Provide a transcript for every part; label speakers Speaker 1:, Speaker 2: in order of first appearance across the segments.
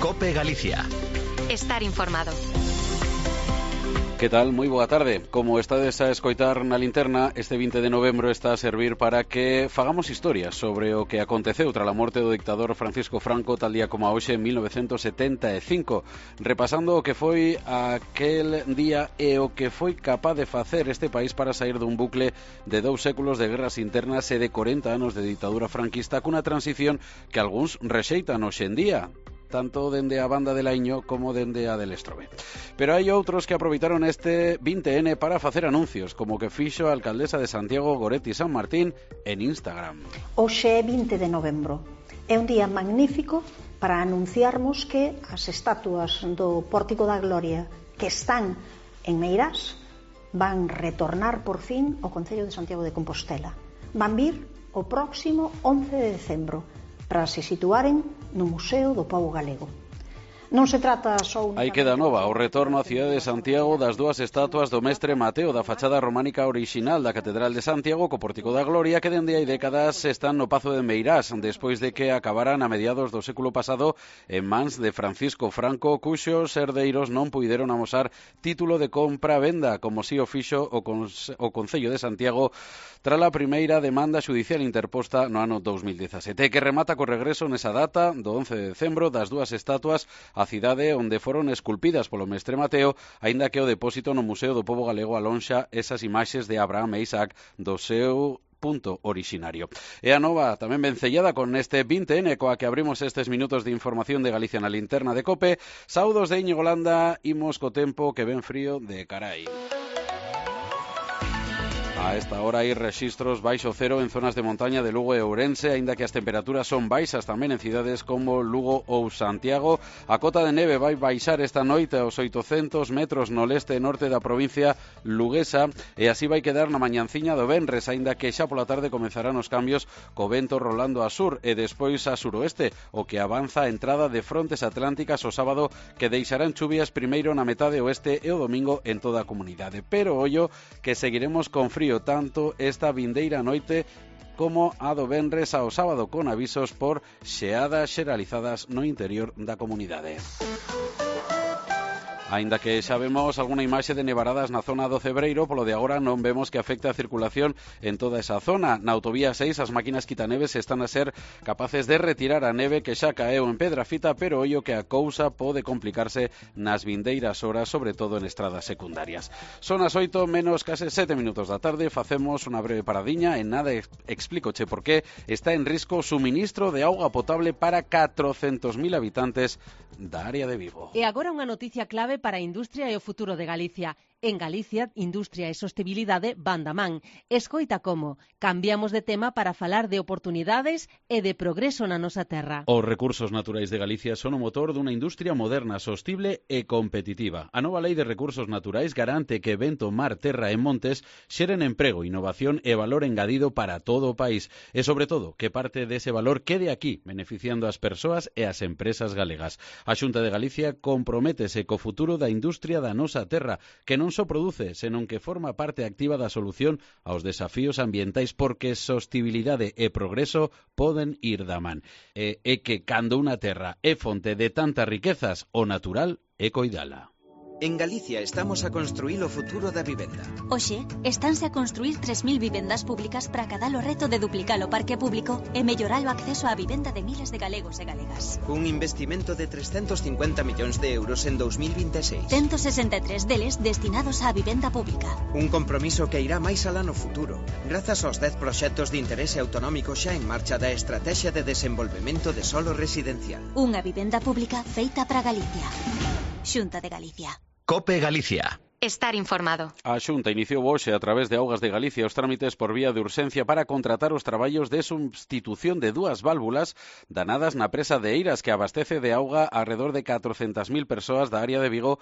Speaker 1: COPE Galicia.
Speaker 2: Estar informado.
Speaker 3: Que tal? Moi boa tarde. Como estades a escoitar na linterna, este 20 de novembro está a servir para que fagamos historia sobre o que aconteceu tras a morte do dictador Francisco Franco tal día como a hoxe en 1975, repasando o que foi aquel día e o que foi capaz de facer este país para sair dun bucle de 2 séculos de guerras internas e de 40 anos de ditadura franquista cunha transición que algúns rexeitan hoxe en día, tanto dende a banda de Laiño como dende a del Estrobe. Pero hai outros que aproveitaron este 20N para facer anuncios, como que fixo a alcaldesa de Santiago, Goretti San Martín, en Instagram.
Speaker 4: Hoxe é 20 de novembro. É un día magnífico para anunciarmos que as estatuas do Pórtico da Gloria que están en Meirás van retornar por fin ao Concello de Santiago de Compostela. Van vir o próximo 11 de decembro para se situaren no Museo do Pobo Galego. Non se trata só
Speaker 3: Aí queda nova o retorno á cidade de Santiago das dúas estatuas do mestre Mateo da fachada románica orixinal da Catedral de Santiago co Pórtico da Gloria, que dende hai décadas están no Pazo de Meirás despois de que acabaran a mediados do século pasado en mans de Francisco Franco, cuxos herdeiros non puideron amosar título de compra-venda, como si o fixo o Concello de Santiago tras a primeira demanda xudicial interposta no ano 2017, que remata co regreso nesa data do 11 de decembro das dúas estatuas a cidade onde foron esculpidas polo mestre Mateo, aínda que o depósito no Museo do Pobo Galego alonxa esas imaxes de Abraham e Isaac do seu punto originario. E a nova tamén vencellada con este 20N coa que abrimos estes minutos de información de Galicia na linterna de COPE. Saudos de Íñigo Landa, imos co tempo que ven frío de carai. A esta hora hai rexistros baixo cero en zonas de montaña de Lugo e Ourense, aínda que as temperaturas son baixas tamén en cidades como Lugo ou Santiago. A cota de neve vai baixar esta noite aos 800 metros no leste e norte da provincia luguesa e así vai quedar na mañanciña do venres, aínda que xa pola tarde comezarán os cambios co vento rolando a sur e despois a suroeste, o que avanza a entrada de frontes atlánticas o sábado que deixarán chuvias primeiro na metade oeste e o domingo en toda a comunidade. Pero ollo que seguiremos con frío tanto esta vindeira noite como a do venres ao sábado, con avisos por xeadas xeralizadas no interior da comunidade. Aínda que xa vemos algunha imaxe de nevaradas na zona do Cebreiro, polo de agora non vemos que afecte a circulación en toda esa zona. Na autovía 6 as máquinas quitaneves están a ser capaces de retirar a neve que xa caeu en Pedrafita, pero ollo que a cousa pode complicarse nas vindeiras horas, sobre todo en estradas secundarias. Son as 8 menos case 7 minutos da tarde, facemos unha breve paradiña, en nada explícoche por qué está en risco o suministro de auga potable para 400.000 habitantes da área de Vigo.
Speaker 5: E agora unha noticia clave para a industria e o futuro de Galicia. En Galicia, industria e sostenibilidade van da man. Escoita como cambiamos de tema para falar de oportunidades e de progreso na nosa terra.
Speaker 3: Os recursos naturais de Galicia son o motor dunha industria moderna, sostible e competitiva. A nova Lei de Recursos Naturais garante que vento, mar, terra e montes xeren emprego, innovación e valor engadido para todo o país. E, sobre todo, que parte dese valor quede aquí, beneficiando as persoas e as empresas galegas. A Xunta de Galicia comprométese co futuro da industria da nosa terra, que non só produce, senón que forma parte activa da solución aos desafíos ambientais, porque sostibilidade e progreso poden ir da man. E que cando unha terra é fonte de tantas riquezas, o natural é coidala.
Speaker 1: En Galicia estamos a construir o futuro da vivenda.
Speaker 6: Hoxe, estánse a construir 3.000 vivendas públicas para cadar o reto de duplicar o parque público e mellorar o acceso á vivenda de miles de galegos e galegas.
Speaker 1: Un investimento de 350 millóns de euros en 2026.
Speaker 6: 163 deles destinados á vivenda pública.
Speaker 1: Un compromiso que irá máis alá no futuro, grazas aos 10 proxectos de interese autonómico xa en marcha da Estrategia de Desenvolvemento de Solo Residencial.
Speaker 6: Unha vivenda pública feita para Galicia. Xunta de Galicia.
Speaker 2: COPE Galicia. Estar informado.
Speaker 3: A Xunta iniciou hoxe a través de Augas de Galicia os trámites por vía de urxencia para contratar os traballos de substitución de dúas válvulas danadas na presa de Eiras, que abastece de auga alrededor de 400.000 persoas da área de Vigo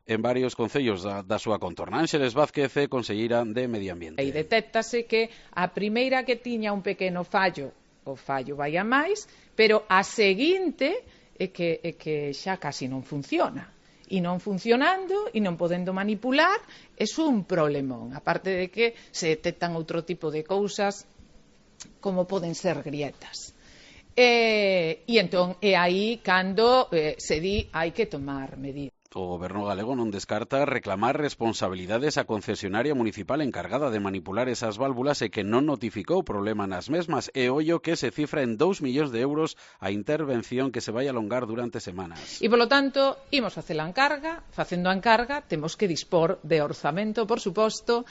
Speaker 3: en varios concellos da súa contorna. Ángeles Vázquez, conselleira de Medio Ambiente.
Speaker 7: E detéctase que a primeira que tiña un pequeno fallo, o fallo vai a máis, pero a seguinte é que xa casi non funciona. E non funcionando e non podendo manipular, é un problemón. Aparte de que se detectan outro tipo de cousas como poden ser grietas. E entón é aí cando se di hai que tomar medidas.
Speaker 3: O Goberno galego non descarta reclamar responsabilidades á concesionaria municipal encargada de manipular esas válvulas e que non notificou problema nas mesmas, e ollo que se cifra en 2 millóns de euros a intervención que se vai alongar durante semanas.
Speaker 7: E polo tanto, imos facendo a encarga, temos que dispor de orzamento, por suposto,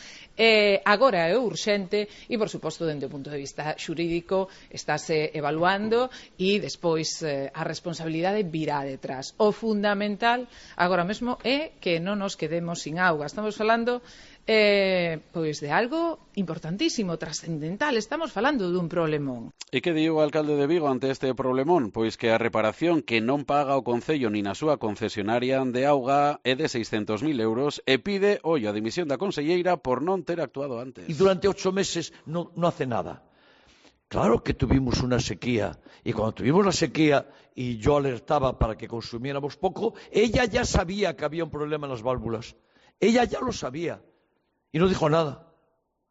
Speaker 7: agora é urxente e, por suposto, dende o punto de vista xurídico estáse evaluando e despois a responsabilidade virá detrás. O fundamental agora mesmo é que non nos quedemos sin auga. Estamos falando pois de algo importantísimo, trascendental. Estamos falando dun problemón.
Speaker 3: E que di o alcalde de Vigo ante este problemón? Pois que a reparación que non paga o Concello nin a súa concesionaria de auga é de 600.000 euros e pide, ollo, a dimisión da conselleira por non ter actuado antes.
Speaker 8: E durante 8 meses non hace nada. Claro que tuvimos una sequía, y cuando tuvimos la sequía y yo alertaba para que consumiéramos poco, ella ya sabía que había un problema en las válvulas. Ella ya lo sabía y no dijo nada,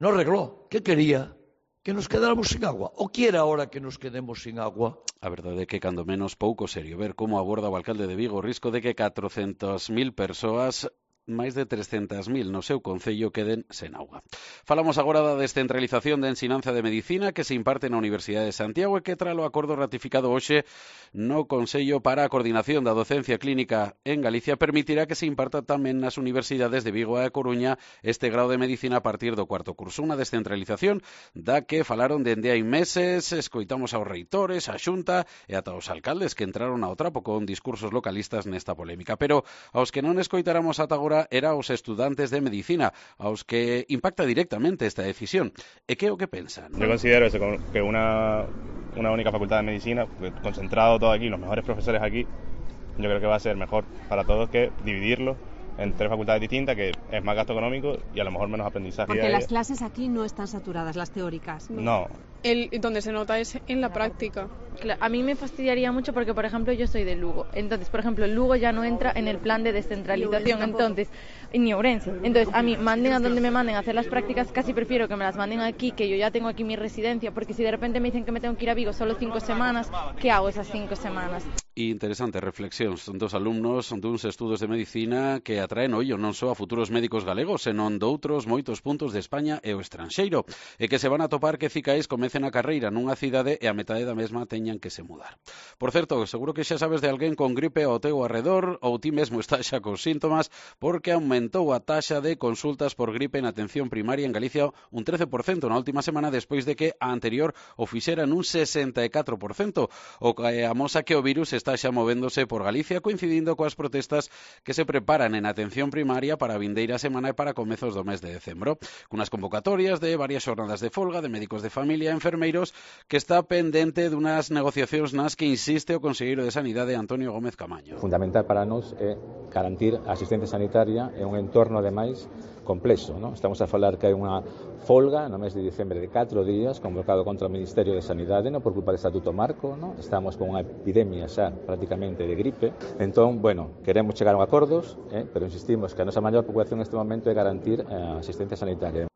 Speaker 8: no arregló. ¿Qué quería? Que nos quedáramos sin agua. ¿O quiere ahora que nos quedemos sin agua?
Speaker 3: A verdade é que, cando menos, pouco serio ver como aborda o alcalde de Vigo o risco de que 400.000 persoas, máis de 300.000 no seu concello, queden sen auga. Falamos agora da descentralización da ensinanza de medicina que se imparte na Universidade de Santiago e que tras o acordo ratificado hoxe no Consello para a Coordinación da Docencia Clínica en Galicia permitirá que se imparta tamén nas universidades de Vigo e a Coruña este grau de medicina a partir do cuarto curso. Unha descentralización da que falaron dende hai meses, escoitamos aos reitores, a Xunta e ata os alcaldes que entraron ao trapo con discursos localistas nesta polémica. Pero aos que non escoitáramos ata agora era aos estudantes de medicina, aos que impacta directamente esta decisión. E que é o que pensan?
Speaker 9: Yo considero eso, que una única facultad de medicina, concentrado todo aquí, los mejores profesores aquí, yo creo que va a ser mejor para todos que dividirlo en 3 facultades distintas, que es más gasto económico y a lo mejor menos aprendizaje.
Speaker 10: Porque las clases aquí no están saturadas, las teóricas.
Speaker 9: No.
Speaker 11: Donde se nota es en la práctica. A mí me fastidiaría mucho porque, por ejemplo, yo soy de Lugo. Entonces, por ejemplo, Lugo ya no entra en el plan de descentralización. Entonces, ni Ourense. Entonces, a mí, manden a donde me manden a hacer las prácticas, casi prefiero que me las manden aquí, que yo ya tengo aquí mi residencia, porque si de repente me dicen que me tengo que ir a Vigo solo 5 semanas, ¿qué hago esas 5 semanas?
Speaker 3: Interesante reflexións dos alumnos duns estudos de medicina que atraen ollo non só a futuros médicos galegos, senón doutros moitos puntos de España e o estranxeiro, e que se van a topar que cicais comecen a carreira nunha cidade e a metade da mesma teñan que se mudar. Por certo, seguro que xa sabes de alguén con gripe ao teu arredor ou ti mesmo está xa cos síntomas, porque aumentou a taxa de consultas por gripe na atención primaria en Galicia un 13% na última semana, despois de que a anterior o fixera nun 64%, o que amosa que o virus está xa movéndose por Galicia, coincidindo coas protestas que se preparan en atención primaria para a vindeira semana e para comezos do mes de decembro, cunas convocatorias de varias xornadas de folga de médicos de familia e enfermeiros que está pendente dunhas negociacións nas que insiste o conselleiro de Sanidade Antonio Gómez Camaño.
Speaker 12: Fundamental para nós é garantir a asistencia sanitaria en un entorno ademais complexo, non? Estamos a falar que hai unha folga no mes de diciembre de 4 días convocado contra o Ministerio de Sanidade, non por culpa do Estatuto Marco, non? Estamos con unha epidemia xa prácticamente de gripe. Entón, bueno, queremos chegar a acordos, pero insistimos que a nosa maior preocupación neste momento é garantir a asistencia sanitaria.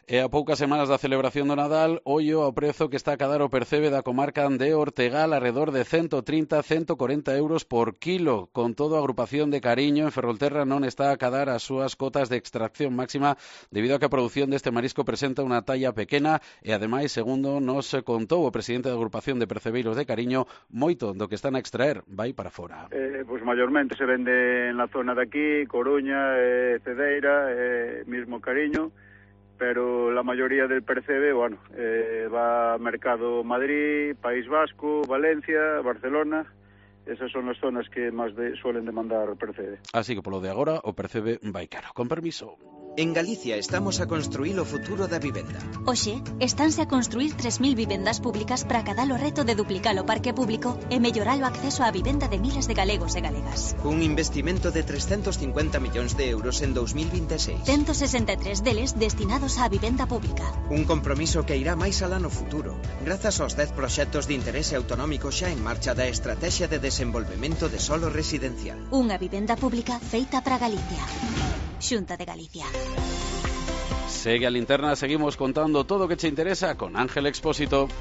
Speaker 3: E a poucas semanas da celebración do Nadal, ollo ao prezo que está a cadar o percebe da comarca de Ortegal, alrededor de 130-140 euros por kilo. Con todo, a agrupación de Cariño en Ferrolterra non está a cadar as súas cotas de extracción máxima debido a que a produción deste marisco presenta unha talla pequena e, ademais, segundo nos contou o presidente da agrupación de percebeiros de Cariño, moito do que están a extraer vai para fora.
Speaker 13: Pues mayormente se vende en la zona de aquí, Coruña, Cedeira, mismo Cariño, pero la mayoría del percebe, bueno, va a mercado Madrid, País Vasco, Valencia, Barcelona. Esas son as zonas que máis suelen demandar percebe.
Speaker 3: Así que polo de agora o percebe vai caro. Con permiso.
Speaker 1: En Galicia estamos a construir o futuro da vivenda.
Speaker 6: Hoxe, estánse a construir 3.000 vivendas públicas para acadar o reto de duplicar o parque público e mellorar o acceso á vivenda de miles de galegos e galegas.
Speaker 1: Un investimento de 350 millóns de euros en 2026.
Speaker 6: 163 deles destinados á vivenda pública.
Speaker 1: Un compromiso que irá máis alá no futuro, grazas aos 10 proxectos de interese autonómico xa en marcha da Estrategia de Desenvolvemento de Solo Residencial.
Speaker 6: Unha vivenda pública feita para Galicia. Xunta de Galicia.
Speaker 3: Segue a linterna, seguimos contando todo o que che interesa con Ángel Expósito.